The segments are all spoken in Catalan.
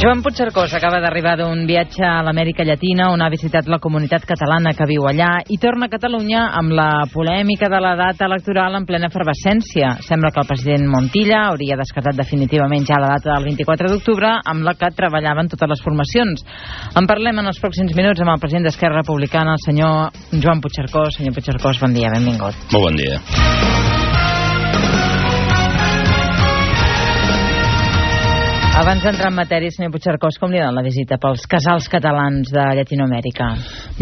Joan Puigcercós acaba d'arribar d'un viatge a l'Amèrica Llatina on ha visitat la comunitat catalana que viu allà i torna a Catalunya amb la polèmica de la data electoral en plena efervescència. Sembla que el president Montilla hauria descartat definitivament ja la data del 24 d'octubre amb la que treballaven totes les formacions. En parlem en els pròxims minuts amb el president d'Esquerra Republicana, el senyor Joan Puigcercós. Senyor Puigcercós, bon dia, benvingut. Molt bon dia. Abans d'entrar en matèria, senyor Puigcercós, com li ha anat la visita pels casals catalans de Llatinoamèrica?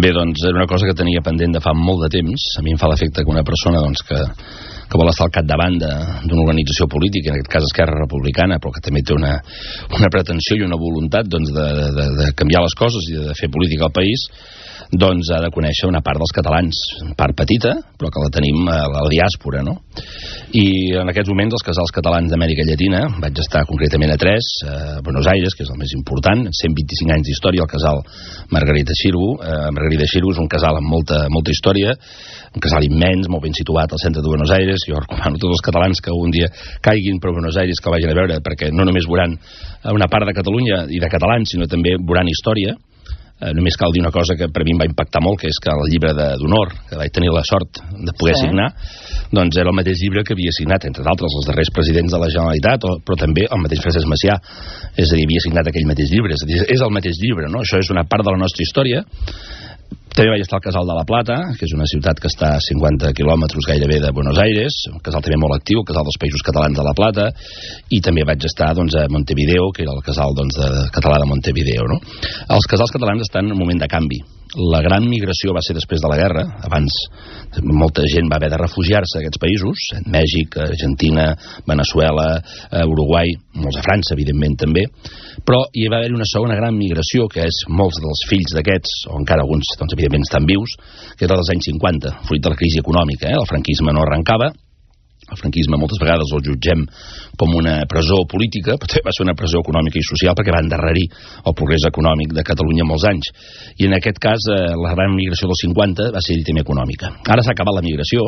Bé, doncs, era una cosa que tenia pendent de fa molt de temps. A mi em fa l'efecte que una persona que vol estar al capdavant d'una organització política, en aquest cas Esquerra Republicana, però que també té una pretensió i una voluntat de canviar les coses i de fer política al país, doncs ha de conèixer una part dels catalans, part petita, però que la tenim a la diàspora, no? I en aquests moments els casals catalans d'Amèrica Llatina, vaig estar concretament a 3, a Buenos Aires, que és el més important, 125 anys d'història, el casal Margarita Xirgu. Margarita Xirgu és un casal amb molta història, un casal immens, molt ben situat al centre de Buenos Aires. Jo recomano a tots els catalans que un dia caiguin per Buenos Aires que el vagin a veure, perquè no només veuran una part de Catalunya i de catalans, sinó també veuran història. Només cal dir una cosa que per mi em va impactar molt, que és que el llibre d'honor, que vaig tenir la sort de poder signar, doncs era el mateix llibre que havia signat, entre d'altres, els darrers presidents de la Generalitat, però també el mateix Francesc Macià. És a dir, havia signat aquell mateix llibre. És a dir, és el mateix llibre, no? Això és una part de la nostra història. També vaig estar al Casal de la Plata, que és una ciutat que està a 50 quilòmetres gairebé de Buenos Aires, un casal també molt actiu, el Casal dels Països Catalans de la Plata, i també vaig estar doncs, a Montevideo, que era el casal català de Montevideo, no? Els casals catalans estan en un moment de canvi. La gran migració va ser després de la guerra. Abans molta gent va haver de refugiar-se a aquests països, Mèxic, Argentina, Veneçuela, Uruguai, molts a França, evidentment, també. Però hi va haver una segona gran migració, que és molts dels fills d'aquests, o encara alguns, doncs, evidentment, estan vius, que era dels anys 50, fruit de la crisi econòmica. El franquisme no arrencava. El franquisme moltes vegades el jutgem com una presó política, però també va ser una presó econòmica i social perquè va endarrerir el progrés econòmic de Catalunya molts anys. I en aquest cas, la gran migració dels 50 va ser també econòmica. Ara s'ha acabat la migració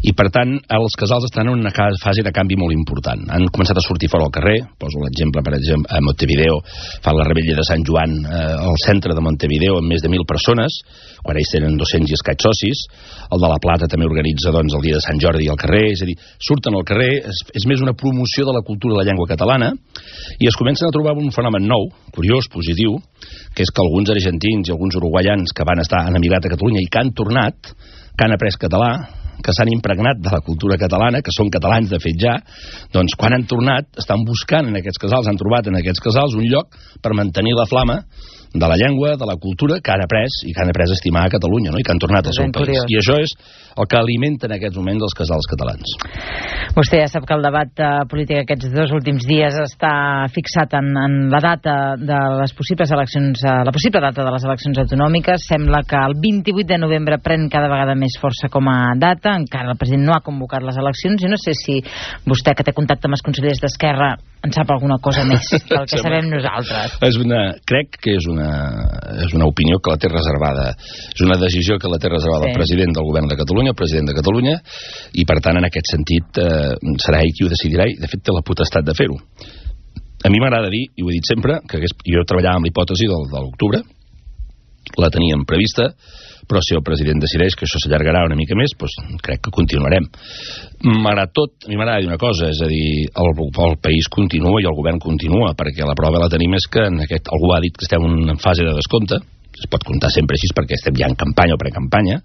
i, per tant, els casals estan en una fase de canvi molt important. Han començat a sortir fora al carrer. Poso l'exemple, per exemple, a Montevideo fan la rebella de Sant Joan al centre de Montevideo amb més de 1.000 persones, quan ells tenen 200 i escaig socis. El de la Plata també organitza doncs, el dia de Sant Jordi al carrer. És a dir, surten al carrer, és més una promoció de la cultura de la llengua catalana, i es comencen a trobar un fenomen nou, curiós, positiu, que és que alguns argentins i alguns uruguaians que han emigrat a Catalunya i que han tornat, que han après català, que s'han impregnat de la cultura catalana, que són catalans de fet ja, doncs quan han tornat estan buscant en aquests casals, han trobat en aquests casals un lloc per mantenir la flama de la llengua, de la cultura que han après i que han après a estimar a Catalunya, no? I que han tornat al seu país. I això és el que alimenta en aquests moments els casals catalans. Vostè ja sap que el debat polític aquests 2 últims dies està fixat en la data de les possibles eleccions, la possible data de les eleccions autonòmiques. Sembla que el 28 de novembre pren cada vegada més força com a data. Encara el president no ha convocat les eleccions i no sé si vostè, que té contacte amb els consellers d'Esquerra, en sap alguna cosa més del que sabem nosaltres. Crec que és una opinió que la té reservada. És una decisió que la té reservada el president del govern de Catalunya, el president de Catalunya, i per tant en aquest sentit serà ell qui ho decidirà i de fet té la potestat de fer-ho. A mi m'agrada dir, i ho he dit sempre, que jo treballava amb l'hipòtesi de l'octubre, la teníem prevista, però si el president decideix que això s'allargarà una mica més, doncs crec que continuarem. Malgrat tot, a mi m'agrada dir una cosa, és a dir, el país continua i el govern continua, perquè la prova la tenim és que algú ha dit que estem en fase de descompte, es pot comptar sempre així perquè estem ja en campanya o precampanya,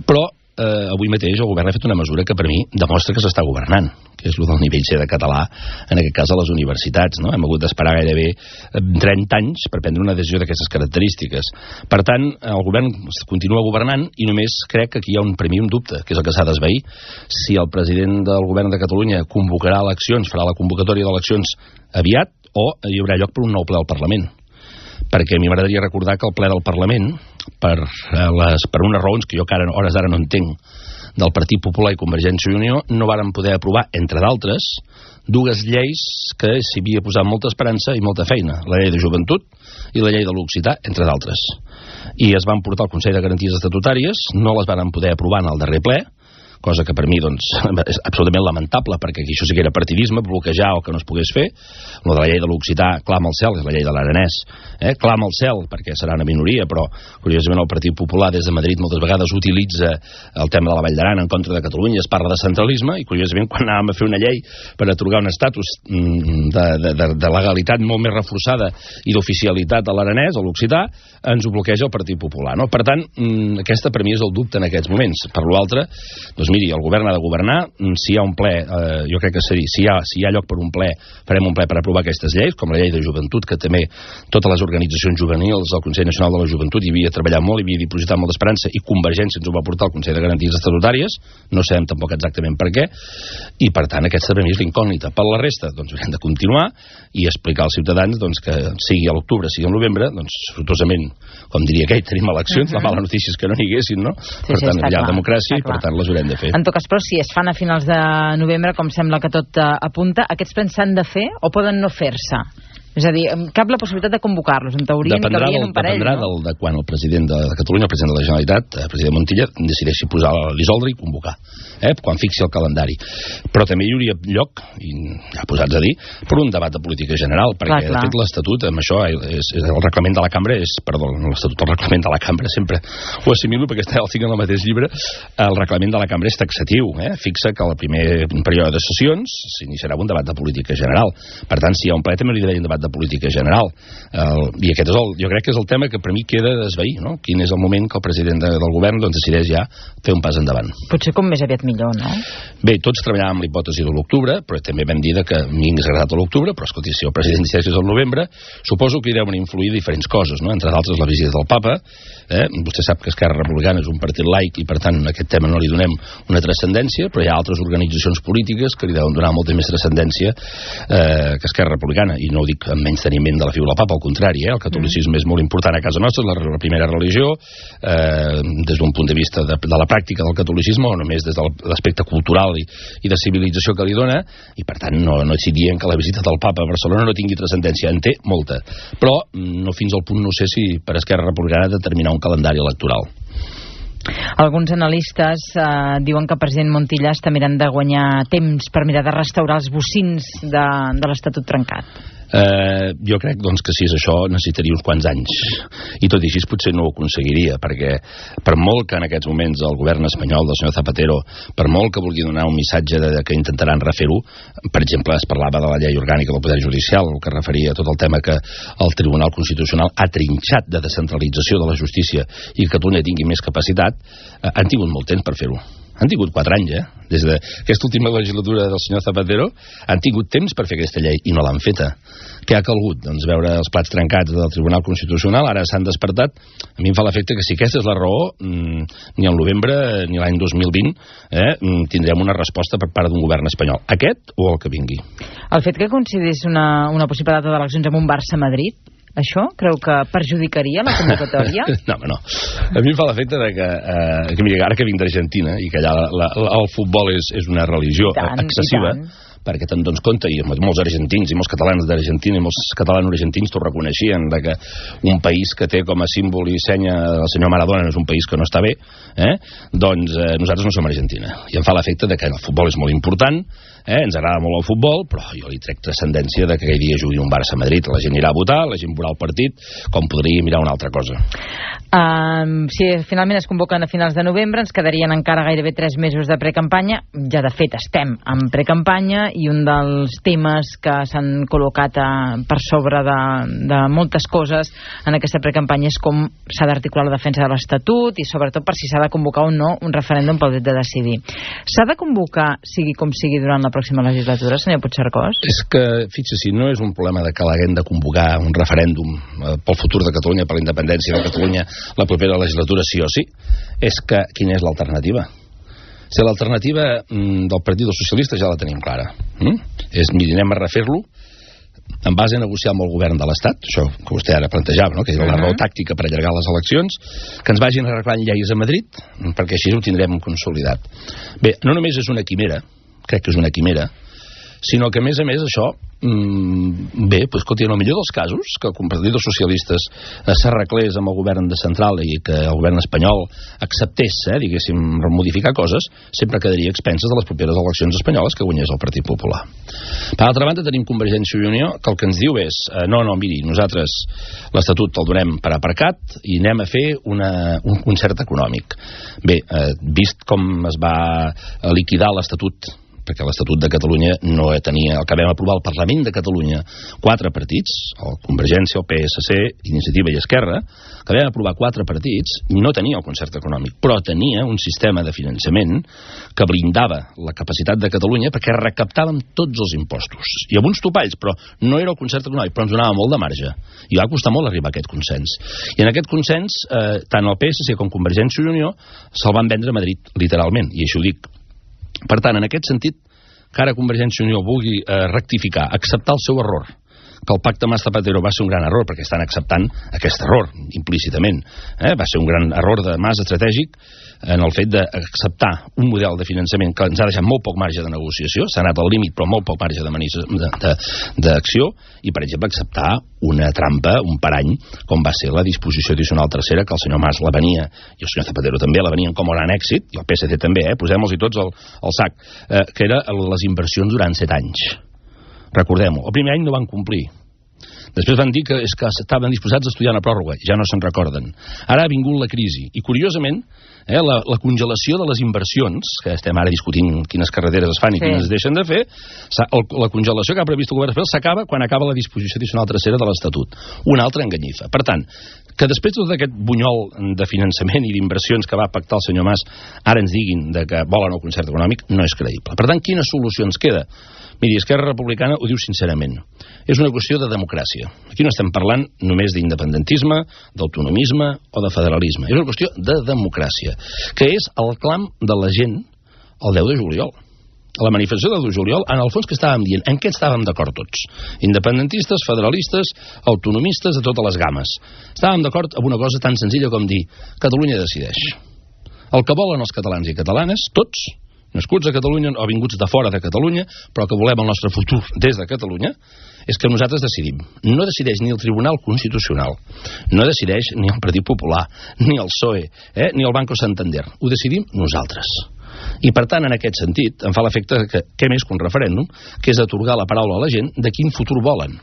però avui mateix el govern ha fet una mesura que per mi demostra que s'està governant, que és el del nivell C de català, en aquest cas a les universitats, no? Hem hagut d'esperar gairebé 30 anys per prendre una decisió d'aquestes característiques. Per tant, el govern continua governant i només crec que aquí hi ha un dubte, que és el que s'ha d'esvair. Si el president del govern de Catalunya convocarà eleccions, farà la convocatòria d'eleccions aviat, o hi haurà lloc per un nou ple al Parlament. Perquè a mi m'agradaria recordar que el ple del Parlament, per unes raons que jo que a hores d'ara no entenc, del Partit Popular i Convergència i Unió, no varen poder aprovar, entre d'altres, 2 lleis que s'hi havia posat molta esperança i molta feina. La llei de joventut i la llei de l'occità, entre d'altres. I es van portar al Consell de Garanties Estatutàries, no les varen poder aprovar en el darrer ple, cosa que per mi doncs, és absolutament lamentable, perquè aquí això sí que era partidisme, bloquejar o que no es pogués fer. Lo de la llei de l'occità clama al cel, és la llei de l'aranès, clama al cel perquè serà una minoria, però curiosament el Partit Popular des de Madrid moltes vegades utilitza el tema de la Vall d'Aran en contra de Catalunya, es parla de centralisme, i curiosament quan anàvem a fer una llei per atorgar un estatus de legalitat molt més reforçada i d'oficialitat a l'aranès, a l'occità, ens ho bloqueja el Partit Popular, no? Per tant, aquesta per mi és el dubte en aquests moments. Per l'altre, doncs miri, el govern ha de governar, si hi ha un ple, jo crec que si hi ha lloc per un ple, farem un ple per aprovar aquestes lleis, com la llei de joventut, que també totes les organitzacions juvenils, el Consell Nacional de la Joventut hi havia treballat molt, hi havia dipositat molta esperança, i Convergència ens ho va portar al Consell de Garanties Estatutàries, no sabem tampoc exactament per què, i per tant aquesta per mi és l'incògnita. Per la resta, doncs hem de continuar i explicar als ciutadans doncs, que sigui a l'octubre, sigui al novembre, doncs sortosament, com diria aquell, tenim eleccions, la mala notícia és que no n'hi haguessin, no? Per tant, hi ha democràcia i per tant les haurem de fer. En tot cas, però, si es fan a finals de novembre, com sembla que tot apunta, aquests plens s'han de fer o poden no fer-se? És a dir, cap la possibilitat de convocar-los. En teoria n'hi cabrien un parell, no? Dependrà de quan el president de Catalunya, el president de la Generalitat, el president Montilla, decideixi posar l'isordre i convocar, quan fixi el calendari. Però també hi hauria lloc, i ja posats a dir, per un debat de política general, perquè de fet l'Estatut, amb això, el reglament de la Cambra l'Estatut, el reglament de la Cambra, sempre ho assimilo perquè està el tinc en el mateix llibre, el reglament de la Cambra és taxatiu, fixa que al primer període de sessions s'iniciarà un debat de política general. Per tant, si hi ha un ple, també li deia un debat de política general, i aquest és jo crec que és el tema que per mi queda d'esvair, no? Quin és el moment que el president del govern doncs, decideix ja fer un pas endavant. Potser com més aviat millor, no? Bé, tots treballàvem amb l'hipòtesi de l'octubre, però també vam dir que m'hi hagués agradat a l'octubre, però escolti, si el president decideix al novembre, suposo que hi deuen influir diferents coses, no? Entre d'altres la visita del Papa, vostè sap que Esquerra Republicana és un partit laic i per tant a aquest tema no li donem una transcendència, però hi ha altres organitzacions polítiques que li deuen donar molta més transcendència que Esquerra Republicana, i no ho dic amb menys teniment de la figura del Papa, al contrari, el catolicisme és molt important a casa nostra, és la primera religió, des d'un punt de vista de la pràctica del catolicisme, o només des de l'aspecte cultural i de civilització que li dona, i per tant no estic dient que la visita del Papa a Barcelona no tingui transcendència, en té molta, però no fins al punt, no sé si per Esquerra Republicana determinar un calendari electoral. Alguns analistes diuen que el president Montilla està mirant de guanyar temps per mirar de restaurar els bocins de l'Estatut trencat. Jo crec doncs, que si és això necessitaria uns quants anys, i tot i així potser no ho aconseguiria, perquè per molt que en aquests moments el govern espanyol del senyor Zapatero, per molt que vulgui donar un missatge que intentaran refer-ho, per exemple es parlava de la llei orgànica del Poder Judicial, el que referia a tot el tema que el Tribunal Constitucional ha trinxat de descentralització de la justícia i que Catalunya tingui més capacitat, han tingut molt temps per fer-ho. Han tingut 4 anys, des d'aquesta última legislatura del senyor Zapatero, han tingut temps per fer aquesta llei i no l'han feta. Què ha calgut? Doncs veure els plats trencats del Tribunal Constitucional, ara s'han despertat. A mi em fa l'efecte que si aquesta és la raó, ni al novembre ni l'any 2020 tindrem una resposta per part d'un govern espanyol. Aquest o el que vingui. El fet que coincidís una possible data d'eleccions amb un Barça-Madrid, això creu que perjudicaria la convocatòria? No, home, no. A mi em fa l'efecte que mira, ara que vinc d'Argentina i que allà el futbol és una religió excessiva, perquè te'n dones compte, i molts argentins i molts catalans d'Argentina i molts catalans argentins t'ho reconeixien, que un país que té com a símbol i senya el senyor Maradona és un país que no està bé, doncs nosaltres no som Argentina, i em fa l'efecte que el futbol és molt important, ens agrada molt el futbol, però jo li trec transcendència que aquell dia jugui un Barça-Madrid, la gent irà a votar, la gent veurà el partit, com podria mirar una altra cosa. Si finalment es convoquen a finals de novembre, ens quedarien encara gairebé 3 mesos de precampanya. Ja de fet estem en precampanya, i un dels temes que s'han col·locat per sobre de moltes coses en aquesta precampanya és com s'ha d'articular la defensa de l'Estatut i sobretot per si s'ha de convocar o no un referèndum pel dret de decidir. S'ha de convocar, sigui com sigui, durant la pròxima legislatura, senyor Puigcercós? És que, fixa-s'hi, no és un problema de que l'haguem de convocar un referèndum pel futur de Catalunya, per la independència de Catalunya la propera legislatura sí o sí, és que quina és l'alternativa? Si l'alternativa del Partit dels Socialistes ja la tenim clara, és miri, anem a refer-lo en base a negociar amb el govern de l'Estat, això que vostè ara plantejava, no? Que és la raó tàctica per allargar les eleccions, que ens vagin arreglant lleis a Madrid, perquè així ho tindrem consolidat. Bé, no només és una quimera, crec que és una quimera, sinó que, a més, això, bé, escolti, en el millor dels casos, que el Partit dels Socialistes s'arreglés amb el govern de central i que el govern espanyol acceptés, diguéssim, modificar coses, sempre quedaria a expenses de les properes eleccions espanyoles que guanyés el Partit Popular. Per altra banda, tenim Convergència i Unió, que el que ens diu és, no, miri, nosaltres l'Estatut el donem per aparcat i anem a fer un concert econòmic. Bé, vist com es va liquidar l'Estatut, perquè l'Estatut de Catalunya no tenia, el que vam aprovar al Parlament de Catalunya, 4 partits, el Convergència, el PSC, Iniciativa i Esquerra, que vam aprovar 4 partits, no tenia el concert econòmic, però tenia un sistema de finançament que blindava la capacitat de Catalunya perquè recaptàvem tots els impostos. I amb uns topalls, però no era el concert econòmic, però ens donava molt de marge. I va costar molt arribar a aquest consens. I en aquest consens, tant el PSC com Convergència i Unió se'l van vendre a Madrid, literalment, i això ho dic. Per tant, en aquest sentit, que ara Convergència i Unió vulgui rectificar, acceptar el seu error, que el pacte Mas Zapatero va ser un gran error, perquè estan acceptant aquest error, implícitament. Va ser un gran error de Mas estratègic en el fet d'acceptar un model de finançament que ens ha deixat molt poc marge de negociació, s'ha anat al límit però molt poc marge d'acció, i per exemple acceptar una trampa, un parany, com va ser la disposició addicional tercera, que el senyor Mas la venia, i el senyor Zapatero també la venien com a gran èxit, i el PSC també, posem-los-hi tots al sac, que era les inversions durant 7 anys. Recordem-ho, el primer any no van complir. Després van dir que estaven disposats a estudiar una pròrroga, ja no se'n recorden. Ara ha vingut la crisi, i curiosament la congelació de les inversions, que estem ara discutint quines carreteres es fan i quines es deixen de fer, la congelació que ha previst el govern espanyol s'acaba quan acaba la disposició addicional tercera de l'Estatut. Una altra enganyifa. Per tant, que després de tot aquest bunyol de finançament i d'inversions que va pactar el senyor Mas ara ens diguin que volen el concert econòmic, no és creïble. Per tant, quina solució ens queda? Miri, Esquerra Republicana ho diu sincerament. És una qüestió de democràcia. Aquí no estem parlant només d'independentisme, d'autonomisme o de federalisme. És una qüestió de democràcia, que és el clam de la gent el 10 de juliol. A la manifestació del 10 de juliol, en el fons que estàvem dient, en què estàvem d'acord tots? Independentistes, federalistes, autonomistes, de totes les games. Estàvem d'acord amb una cosa tan senzilla com dir Catalunya decideix. El que volen els catalans i catalanes, tots, nascuts a Catalunya o vinguts de fora de Catalunya, però que volem el nostre futur des de Catalunya, és que nosaltres decidim. No decideix ni el Tribunal Constitucional, no decideix ni el Partit Popular, ni el PSOE, ni el Banco Santander. Ho decidim nosaltres. I per tant, en aquest sentit, em fa l'efecte que què més que un referèndum, que és atorgar la paraula a la gent de quin futur volen.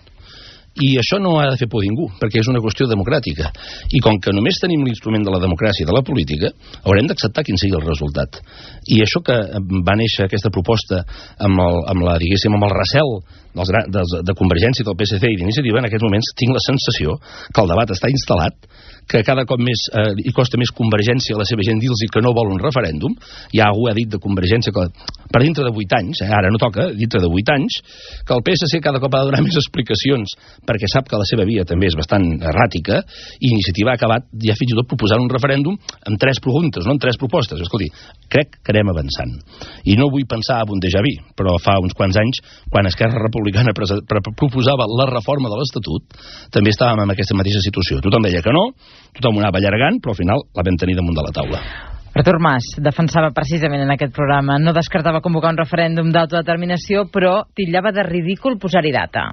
I això no ha de fer por a ningú, perquè és una qüestió democràtica. I com que només tenim l'instrument de la democràcia i de la política, haurem d'acceptar quin sigui el resultat. I això que va néixer aquesta proposta amb el recel de Convergència, del PSC i d'Iniciativa, en aquests moments tinc la sensació que el debat està instal·lat, que cada cop més hi costa més Convergència a la seva gent dir-los que no vol un referèndum. Ja algú ha dit de Convergència que per dintre de 8 anys, ara no toca, dintre de 8 anys, que el PSC cada cop ha de donar més explicacions perquè sap que la seva via també és bastant erràtica, i Iniciativa ha acabat ja fins i tot proposant un referèndum amb 3 preguntes, no amb 3 propostes. Escolti, crec que anem avançant. I no vull pensar en un déjà vu, però fa uns quants anys, quan Esquerra Republicana proposava la reforma de l'Estatut, també estàvem en aquesta mateixa situació. Tothom deia que no, tothom ho anava allargant, però al final la vam tenir damunt de la taula. Artur Mas defensava precisament en aquest programa, no descartava convocar un referèndum d'autodeterminació, però titllava de ridícul posar-hi data.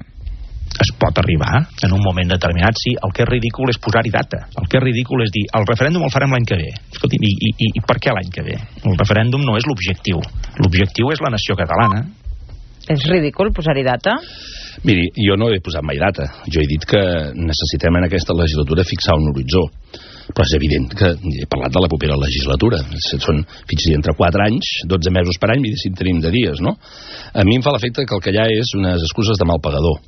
Es pot arribar en un moment determinat, sí. El que és ridícul és posar-hi data. El que és ridícul és dir, el referèndum el farem l'any que ve. Escolti, i per què l'any que ve? El referèndum no és l'objectiu. L'objectiu és la nació catalana. És ridícul posar-hi data? Miri, jo no he posat mai data. Jo he dit que necessitem en aquesta legislatura fixar un horitzó. Però és evident que he parlat de la propera legislatura. Són, fins i entre 4 anys, 12 mesos per any, i si en tenim de dies, no? A mi em fa l'efecte que el que hi ha és unes excuses de mal pagador.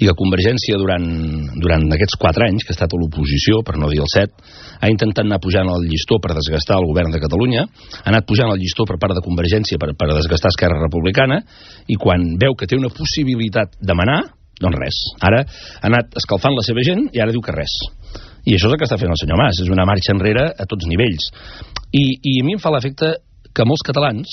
I que Convergència, durant aquests 4 anys, que ha estat a l'oposició, per no dir el 7, ha intentat anar pujant el llistó per desgastar el govern de Catalunya, ha anat pujant el llistó per part de Convergència per desgastar Esquerra Republicana, i quan veu que té una possibilitat de manar, doncs res. Ara ha anat escalfant la seva gent i ara diu que res. I això és el que està fent el senyor Mas, és una marxa enrere a tots nivells. I a mi em fa l'efecte que molts catalans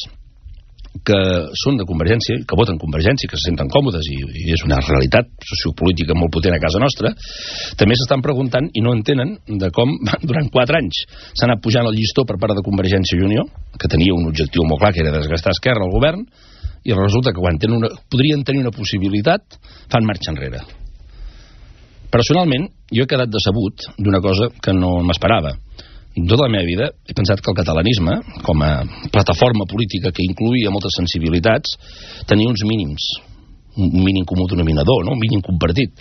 que són de Convergència, que voten Convergència, que se senten còmodes, i és una realitat sociopolítica molt potent a casa nostra, també s'estan preguntant i no entenen de com durant 4 anys s'ha anat pujant el llistó per part de Convergència i Unió, que tenia un objectiu molt clar, que era desgastar Esquerra al govern, i resulta que quan podrien tenir una possibilitat, fan marxa enrere. Personalment, jo he quedat decebut d'una cosa que no m'esperava. Tota la meva vida he pensat que el catalanisme, com a plataforma política que incluïa moltes sensibilitats, tenia uns mínims, un mínim comú denominador, no? Un mínim compartit.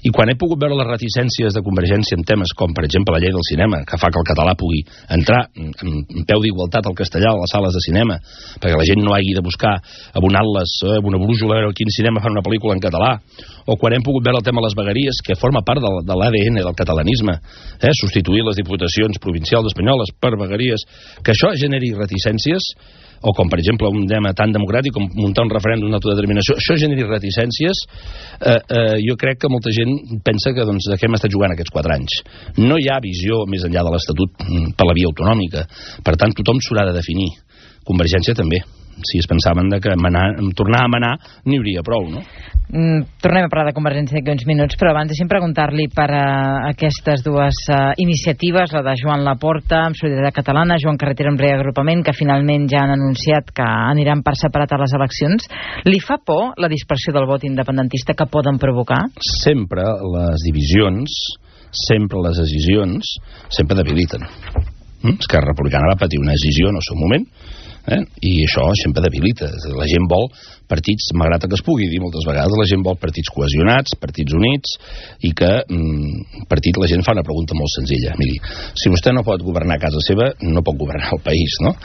I quan he pogut veure les reticències de Convergència en temes com, per exemple, la llei del cinema, que fa que el català pugui entrar en peu d'igualtat al castellà a les sales de cinema, perquè la gent no hagi de buscar amb un atles, amb una brújula, a veure quin cinema fan una pel·lícula en català, o quan hem pogut veure el tema de les vegueries, que forma part de l'ADN del catalanisme, substituir les diputacions provincials espanyoles per vegueries, que això generi reticències, o com per exemple un tema tan democràtic com muntar un referèndum d'autodeterminació, això generi reticències, jo crec que molta gent pensa que doncs, de què hem estat jugant aquests 4 anys. No hi ha visió més enllà de l'Estatut per la via autonòmica, per tant tothom s'haurà de definir. Convergència també. Si es pensaven que tornar a manar n'hi hauria prou, no? Tornem a parlar de Convergència d'aquí uns minuts, però abans deixem preguntar-li per aquestes dues iniciatives, la de Joan Laporta amb Solidaritat Catalana, Joan Carretera amb Reagrupament, que finalment ja han anunciat que aniran per separat a les eleccions. Li fa por la dispersió del vot independentista que poden provocar? Sempre les divisions, sempre les decisions, sempre debiliten. Esquerra Republicana va patir una decisió en el seu moment, i això sempre debilita. La gent vol partits, malgrat que es pugui dir moltes vegades, la gent vol partits cohesionats, partits units, i que la gent fa una pregunta molt senzilla. Miri, si vostè no pot governar a casa seva, no pot governar el país, no?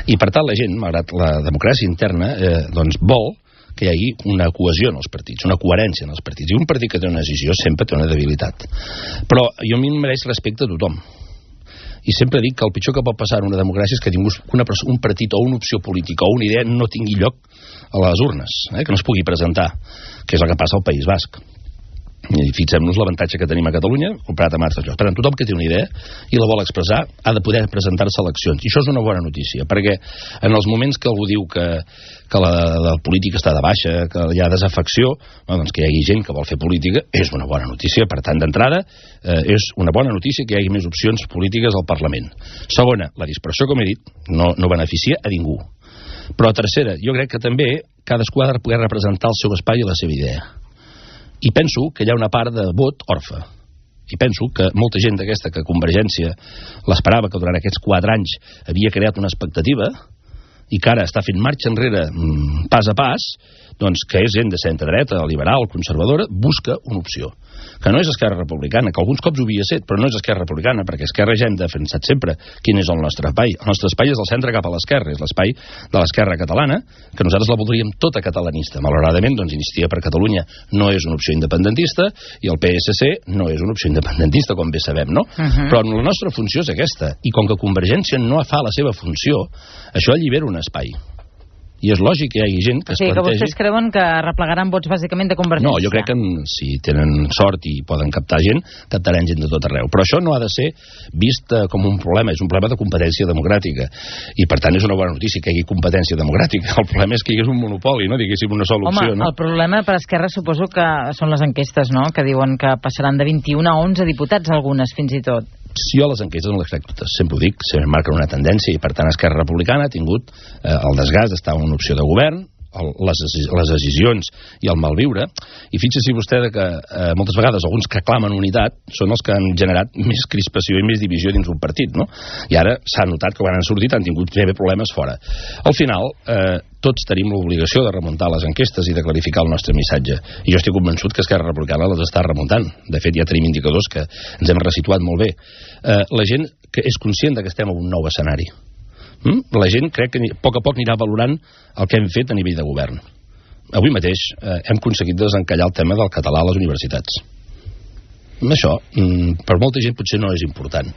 I per tant la gent, malgrat la democràcia interna, doncs vol que hi hagi una cohesió en els partits, una coherència en els partits. I un partit que té una decisió sempre té una debilitat. Però a mi em mereix respecte a tothom. I sempre dic que el pitjor que pot passar en una democràcia és que un partit o una opció política o una idea no tingui lloc a les urnes, que no es pugui presentar, que és el que passa al País Basc. I fixem-nos l'avantatge que tenim a Catalunya comparat amb altres llocs. Per tant, tothom que té una idea i la vol expressar ha de poder presentar-se a eleccions. I això és una bona notícia, perquè en els moments que algú diu que la política està de baixa, que hi ha desafecció, doncs que hi hagi gent que vol fer política és una bona notícia. Per tant, d'entrada, és una bona notícia que hi hagi més opcions polítiques al Parlament. Segona, la dispersió, com he dit, no beneficia a ningú. Però tercera, jo crec que també cadascú ha de poder representar el seu espai i la seva idea. I penso que hi ha una part de vot orfe. I penso que molta gent d'aquesta que Convergència l'esperava, que durant aquests 4 anys havia creat una expectativa i que ara està fent marxa enrere pas a pas, doncs que és gent de centre-dreta, liberal, conservadora, busca una opció. Que no és Esquerra Republicana, que alguns cops ho havia set, però no és Esquerra Republicana, perquè Esquerra ja hem defensat sempre quin és el nostre espai. El nostre espai és el centre cap a l'esquerra, és l'espai de l'esquerra catalana, que nosaltres la voldríem tota catalanista. Malauradament, doncs, Iniciativa per Catalunya no és una opció independentista i el PSC no és una opció independentista, com bé sabem, no? Però la nostra funció és aquesta, i com que Convergència no fa la seva funció, això allibera un espai. I és lògic que hi hagi gent que es plantegi... que vostès creuen que replegaran vots bàsicament de Convergència. No, jo crec que si tenen sort i poden captar gent, captaran gent de tot arreu. Però això no ha de ser vist com un problema, és un problema de competència democràtica. I per tant és una bona notícia que hi hagi competència democràtica. El problema és que hi hagués un monopoli, no? Diguéssim una sola opció, no? El problema per Esquerra suposo que són les enquestes, no? Que diuen que passaran de 21 a 11 diputats, algunes fins i tot. Si jo les enquestes no les crec totes, sempre ho dic, sempre marquen una tendència i per tant Esquerra Republicana ha tingut el desgast d'estar en una opció de govern, les decisions i el malviure, i fixi-s'hi vostè que moltes vegades alguns que clamen unitat són els que han generat més crispació i més divisió dins un partit, no? I ara s'ha notat que quan han sortit han tingut també problemes fora. Al final, tots tenim l'obligació de remuntar les enquestes i de clarificar el nostre missatge, i jo estic convençut que Esquerra Republicana les està remuntant. De fet, ja tenim indicadors que ens hem resituat molt bé. La gent que és conscient que estem en un nou escenari. La gent crec que a poc anirà valorant el que hem fet a nivell de govern. Avui mateix hem aconseguit desencallar el tema del català a les universitats. Això, per molta gent potser no és important,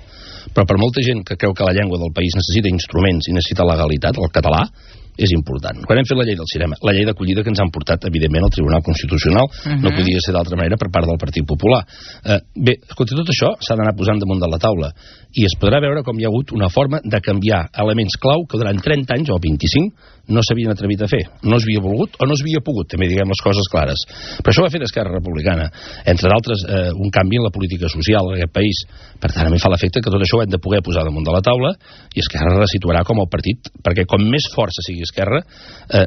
però per molta gent que creu que la llengua del país necessita instruments i necessita legalitat, el català és important. Quan hem fet la llei del cinema, la llei d'acollida que ens han portat, evidentment, al Tribunal Constitucional, no podia ser d'altra manera per part del Partit Popular. Bé, escolta, tot això s'ha d'anar posant damunt de la taula i es podrà veure com hi ha hagut una forma de canviar elements clau que durant 30 anys o 25 no s'havien atrevit a fer. No s'havia volgut o no s'havia pogut, també diguem les coses clares. Però això ho ha fet Esquerra Republicana. Entre d'altres, un canvi en la política social en aquest país. Per tant, a mi fa l'efecte que tot això ho hem de poder posar damunt de la taula i Esquerra resituarà com el partit, perquè com més força sigui i Esquerra,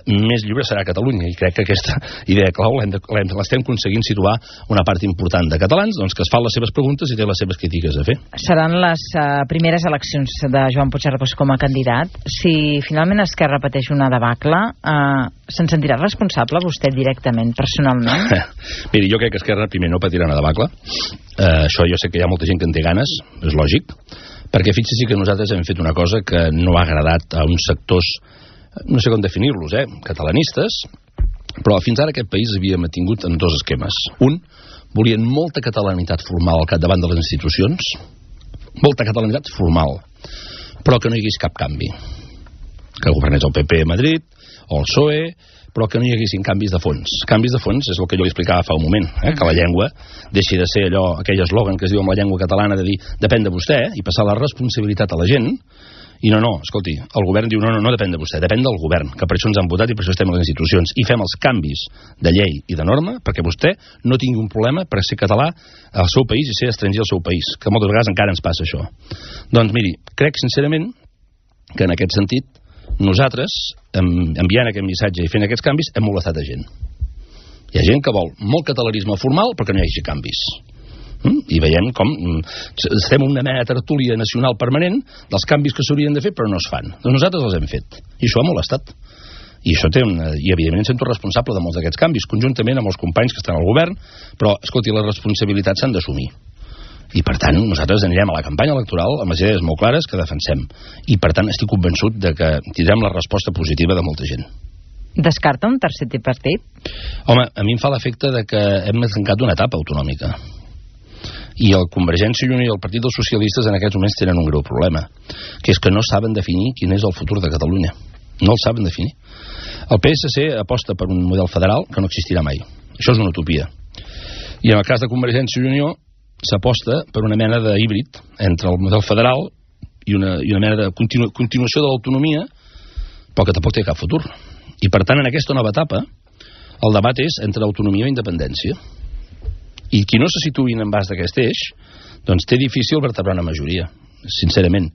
més lliure serà Catalunya. I crec que aquesta idea clau l'estem aconseguint situar una part important de catalans, doncs, que es fan les seves preguntes i té les seves crítiques a fer. Seran les primeres eleccions de Joan Puigcercós com a candidat. Si finalment Esquerra pateix una debacle, se'n sentirà responsable vostè directament, personalment? Miri, jo crec que Esquerra primer no patirà una debacle. Això jo sé que hi ha molta gent que en té ganes, és lògic, perquè fixi-s'hi que nosaltres hem fet una cosa que no ha agradat a uns sectors, no sé com definir-los, catalanistes, però fins ara aquest país havia mantingut en dos esquemes. Un, volien molta catalanitat formal al capdavant de les institucions, molta catalanitat formal, però que no hi hagués cap canvi. Que governés el PP a Madrid, o el PSOE, però que no hi haguessin canvis de fons. Canvis de fons és el que jo li explicava fa un moment, que la llengua deixi de ser allò, aquell eslògan que es diu amb la llengua catalana de dir depèn de vostè, i passar la responsabilitat a la gent, i no, escolti, el govern diu no depèn de vostè, depèn del govern, que per això ens han votat i per això estem a les institucions, i fem els canvis de llei i de norma perquè vostè no tingui un problema per ser català al seu país i ser estranger al seu país, que moltes vegades encara ens passa això. Doncs miri, crec sincerament que en aquest sentit nosaltres, enviant aquest missatge i fent aquests canvis, hem molestat a gent. Hi ha gent que vol molt catalanisme formal però que no hi hagi canvis. I veiem com estem en una mena de tertúlia nacional permanent dels canvis que s'haurien de fer però no es fan. Doncs nosaltres els hem fet. I això ha molestat. I això i evidentment sento responsable de molts d'aquests canvis, conjuntament amb els companys que estan al govern, però, escolti, les responsabilitats s'han d'assumir. I per tant nosaltres anirem a la campanya electoral amb les idees molt clares que defensem. I per tant estic convençut de que tindrem la resposta positiva de molta gent. Descarta un tercer tripartit? Home, a mi em fa l'efecte de que hem tancat una etapa autonòmica. I el Convergència i Unió i el Partit dels Socialistes en aquests moments tenen un greu problema, que és que no saben definir quin és el futur de Catalunya. No el saben definir. El PSC aposta per un model federal que no existirà mai. Això és una utopia. I en el cas de Convergència i Unió s'aposta per una mena d'híbrid entre el model federal i una mena de continuació de l'autonomia, però que tampoc té cap futur. I per tant, en aquesta nova etapa, el debat és entre autonomia i independència. I qui no se situï en base d'aquest eix, doncs té difícil vertebrar una majoria, sincerament.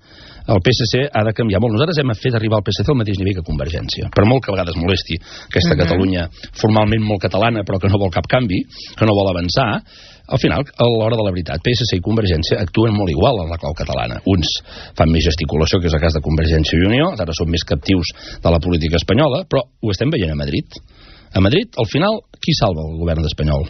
El PSC ha de canviar molt. Nosaltres hem fet arribar al PSC al mateix nivell que Convergència, per molt que a vegades molesti aquesta Catalunya formalment molt catalana però que no vol cap canvi, que no vol avançar. Al final, a l'hora de la veritat, PSC i Convergència actuen molt igual en la clau catalana. Uns fan més gesticulació, que és el cas de Convergència i Unió, ara són més captius de la política espanyola, però ho estem veient a Madrid. A Madrid, al final, qui salva el govern espanyol?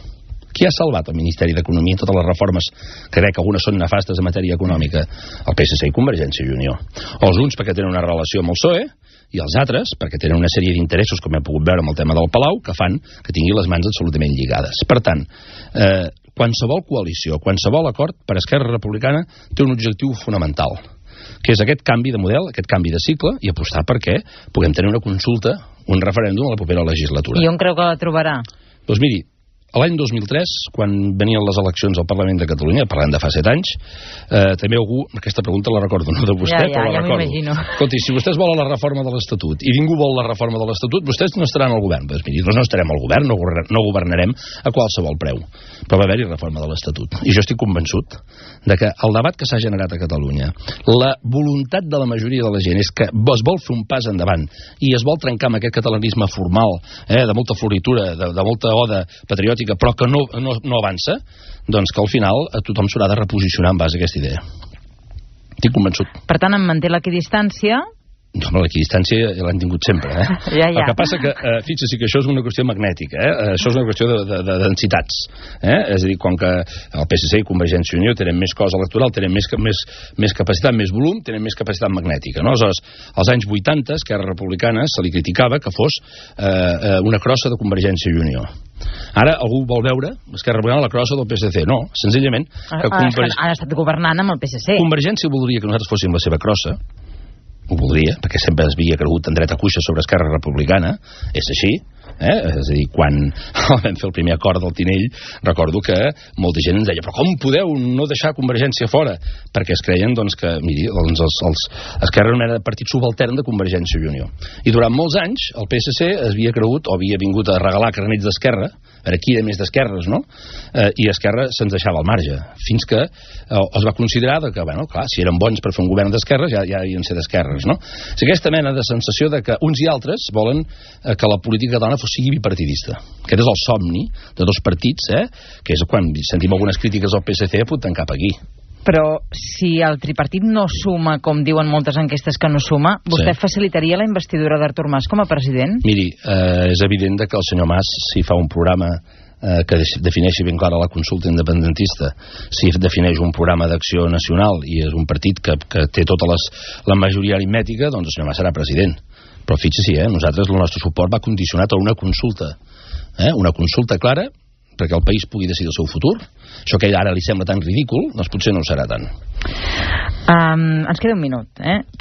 Qui ha salvat el Ministeri d'Economia i totes les reformes que crec que algunes són nefastes en matèria econòmica? El PSC i Convergència i Unió. Els uns perquè tenen una relació amb el PSOE i els altres perquè tenen una sèrie d'interessos, com hem pogut veure amb el tema del Palau, que fan que tingui les mans absolutament lligades. Per tant, qualsevol coalició, qualsevol acord per Esquerra Republicana té un objectiu fonamental, que és aquest canvi de model, aquest canvi de cicle, i apostar perquè puguem tenir una consulta, un referèndum a la propera legislatura. I on creu que la trobarà? Doncs miri, l'any 2003, quan venien les eleccions al Parlament de Catalunya, parlant de fa 7 anys, també algú, aquesta pregunta la recordo, no de vostè, però la recordo. Escolti, si vostès volen la reforma de l'Estatut i ningú vol la reforma de l'Estatut, vostès no estaran al govern. Doncs miri, no estarem al govern, no governarem a qualsevol preu. Però va haver-hi reforma de l'Estatut. I jo estic convençut de que el debat que s'ha generat a Catalunya, la voluntat de la majoria de la gent és que es vol fer un pas endavant i es vol trencar amb aquest catalanisme formal, de molta floritura, de molta oda patriòtica, però que no avança, doncs que al final tothom s'haurà de reposicionar en base a aquesta idea. Estic convençut. Per tant, em manté l'equidistància? No, l'equidistància l'han tingut sempre. Ja. El que passa que, fixa-s'hi que això és una qüestió magnètica, això és una qüestió de densitats. És a dir, com que el PSC i Convergència i Unió tenen més cos electoral, tenen més capacitat, més volum, tenen més capacitat magnètica. No? Aleshores, als anys 80, Esquerra Republicana se li criticava que fos una crossa de Convergència i Unió. Ara algú vol veure Esquerra Republicana la crossa del PSC. No, senzillament... Han estat governant amb el PSC. Convergència voldria que nosaltres fóssim la seva crossa, ho voldria, perquè sempre es havia cregut en dreta cuixa sobre Esquerra Republicana, és així, És a dir, quan vam fer el primer acord del Tinell, recordo que molta gent ens deia, però com podeu no deixar Convergència fora? Perquè es creien que, miri, Esquerra era una mena de partit subaltern de Convergència i Unió. I durant molts anys el PSC havia cregut, o havia vingut a regalar carnets d'Esquerra, a veure qui era més d'esquerres, no? I Esquerra se'ns deixava al marge, fins que es va considerar que, bueno, clar, si eren bons per fer un govern d'esquerres, ja havien de ser d'esquerres, no? És aquesta mena de sensació de que uns i altres volen que la política catalana sigui bipartidista. Aquest és el somni de dos partits, que és quan sentim algunes crítiques al PSC apunten cap aquí. Però si el tripartit no suma, com diuen moltes enquestes que no suma, vostè facilitaria la investidura d'Artur Mas com a president? Miri, és evident que el senyor Mas, si fa un programa que defineixi ben clara la consulta independentista, si defineix un programa d'acció nacional i és un partit que té tota la majoria aritmètica, doncs el senyor Mas serà president. Però fixi-s'hi, nosaltres el nostre suport va condicionat a una consulta clara perquè el país pugui decidir el seu futur. Això que ara li sembla tan ridícul, doncs potser no ho serà tant. Ens queda un minut,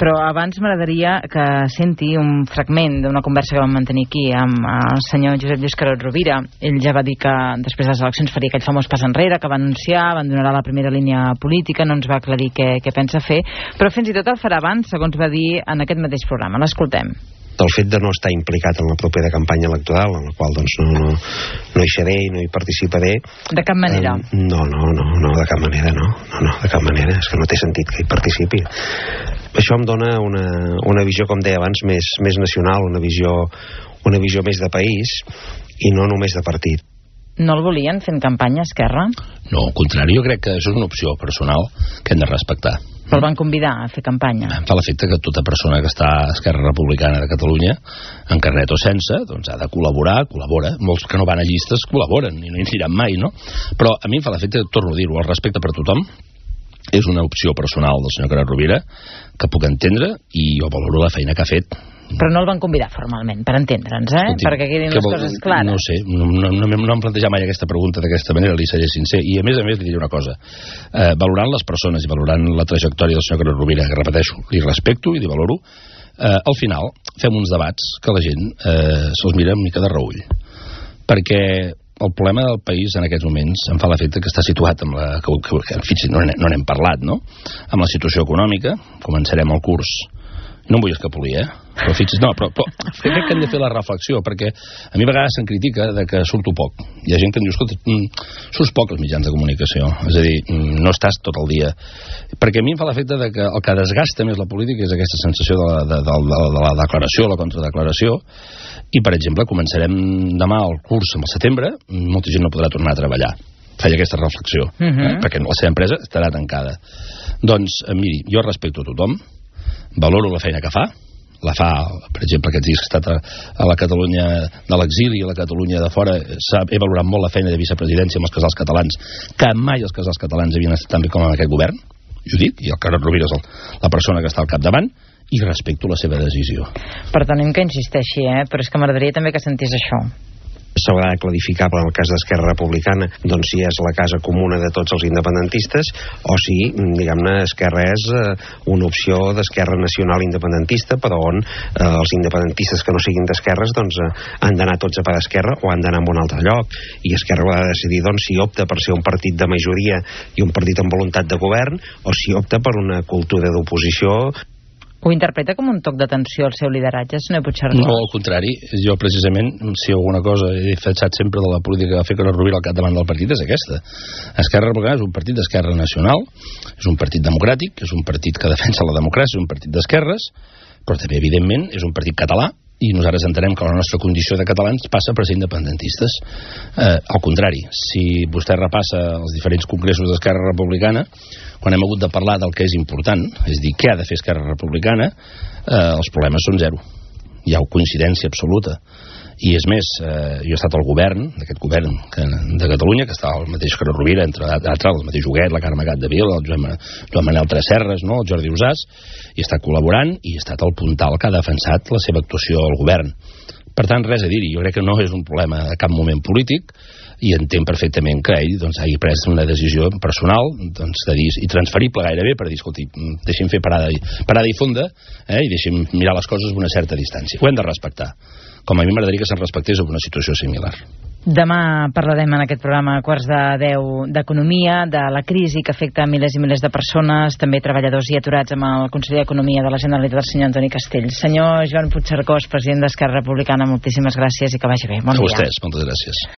però abans m'agradaria que senti un fragment d'una conversa que vam mantenir aquí amb el senyor Josep Lluís Carod Rovira. Ell ja va dir que després de les eleccions faria aquell famós pas enrere, que va anunciar, abandonarà la primera línia política, no ens va aclarir què pensa fer, però fins i tot el farà abans, segons va dir en aquest mateix programa. L'escoltem. Del fet de no estar implicat en la propera campanya electoral, en la qual doncs no hi seré i no hi participaré. De cap manera? No, de cap manera, no, de cap manera, és que no té sentit que hi participi. Això em dona una visió, com deia abans, més nacional, una visió més de país i no només de partit. No el volien fent campanya, Esquerra? No, al contrari, jo crec que això és una opció personal que hem de respectar. Però el van convidar a fer campanya? Em fa l'efecte que tota persona que està a Esquerra Republicana de Catalunya, en carnet o sense, doncs ha de col·labora. Molts que no van a llistes col·laboren i no hi aniran mai, no? Però a mi em fa l'efecte, torno a dir-ho, el respecte per tothom és una opció personal del senyor Carod Rovira que puc entendre i jo valoro la feina que ha fet. Però no el van convidar formalment, per entendre'ns, Escolti, perquè quedin les coses clares. No sé, no em plantejat mai aquesta pregunta d'aquesta manera, li seré sincer. I a més li diré una cosa. Valorant les persones i valorant la trajectòria del senyor Carod Rovira, que repeteixo, li respecto i li valoro, al final fem uns debats que la gent se'ls mira una mica de reull. Perquè el problema del país en aquests moments em fa l'efecte que està situat amb no n'hem parlat, no? Amb la situació econòmica, començarem el curs. No em vull escapolir, però fixi's, però crec que hem de fer la reflexió, perquè a mi a vegades se'm critica de que surto poc. Hi ha gent que em diu, escolta, surts poc als mitjans de comunicació, és a dir, no estàs tot el dia. Perquè a mi em fa l'efecte de que el que desgasta més la política és aquesta sensació de la declaració, la contradeclaració, i per exemple començarem demà el curs al setembre, molta gent no podrà tornar a treballar. Feia aquesta reflexió, perquè la seva empresa estarà tancada. Doncs, miri, jo respecto a tothom, valoro la feina que fa, per exemple, aquests dies que he estat a la Catalunya de l'exili i a la Catalunya de fora, he valorat molt la feina de vicepresidència amb els casals catalans, que mai els casals catalans havien estat tan bé com en aquest govern, i ho dic, i el Carod Rovira és la persona que està al capdavant, i respecto la seva decisió. Perdonem que insisteixi, però és que m'agradaria també que sentés això. S'haurà de clarificar per el cas d'Esquerra Republicana doncs si és la casa comuna de tots els independentistes o si, diguem-ne, Esquerra és una opció d'Esquerra Nacional Independentista, però on els independentistes que no siguin d'esquerres doncs han d'anar tots a per Esquerra o han d'anar a un altre lloc, i Esquerra haurà de decidir doncs si opta per ser un partit de majoria i un partit amb voluntat de govern o si opta per una cultura d'oposició. Ho interpreta com un toc d'atenció al seu lideratge, senyor Puigcercós? No, al contrari. Jo, precisament, si alguna cosa he defensat sempre de la política que va fer Carod Rovira al capdavant del partit és aquesta. Esquerra Republicana és un partit d'esquerra nacional, és un partit democràtic, és un partit que defensa la democràcia, és un partit d'esquerres, però també, evidentment, és un partit català, i nosaltres entenem que la nostra condició de catalans passa per ser independentistes. Al contrari, si vostè repassa els diferents congressos d'Esquerra Republicana, quan hem hagut de parlar del que és important, és a dir, què ha de fer Esquerra Republicana, els problemes són zero. Hi ha coincidència absoluta. I és més, jo he estat al govern, d'aquest govern de Catalunya, que està el mateix Carod Rovira, entre altres, el mateix Huguet, la Carme Capdevila, el Joan Manel Tresserras, no? El Jordi Usàs, i he estat col·laborant i he estat el puntal que ha defensat la seva actuació al govern. Per tant, res a dir-hi. Jo crec que no és un problema a cap moment polític i entenc perfectament que ell doncs, hagi pres una decisió personal doncs, de dir, i transferible gairebé per dir, escolti, deixi'm fer parada i fonda i deixi'm mirar les coses amb una certa distància. Ho hem de respectar. com a mi m'agradaria que se'n respectés en una situació similar. Demà parlarem en aquest programa a 9:15 d'economia, de la crisi que afecta milers i milers de persones, també treballadors i aturats, amb el conseller d'Economia de la Generalitat, el senyor Antoni Castells. Senyor Joan Puigcercós, president d'Esquerra Republicana, moltíssimes gràcies i que vagi bé. Bon dia. A vostès, moltes gràcies.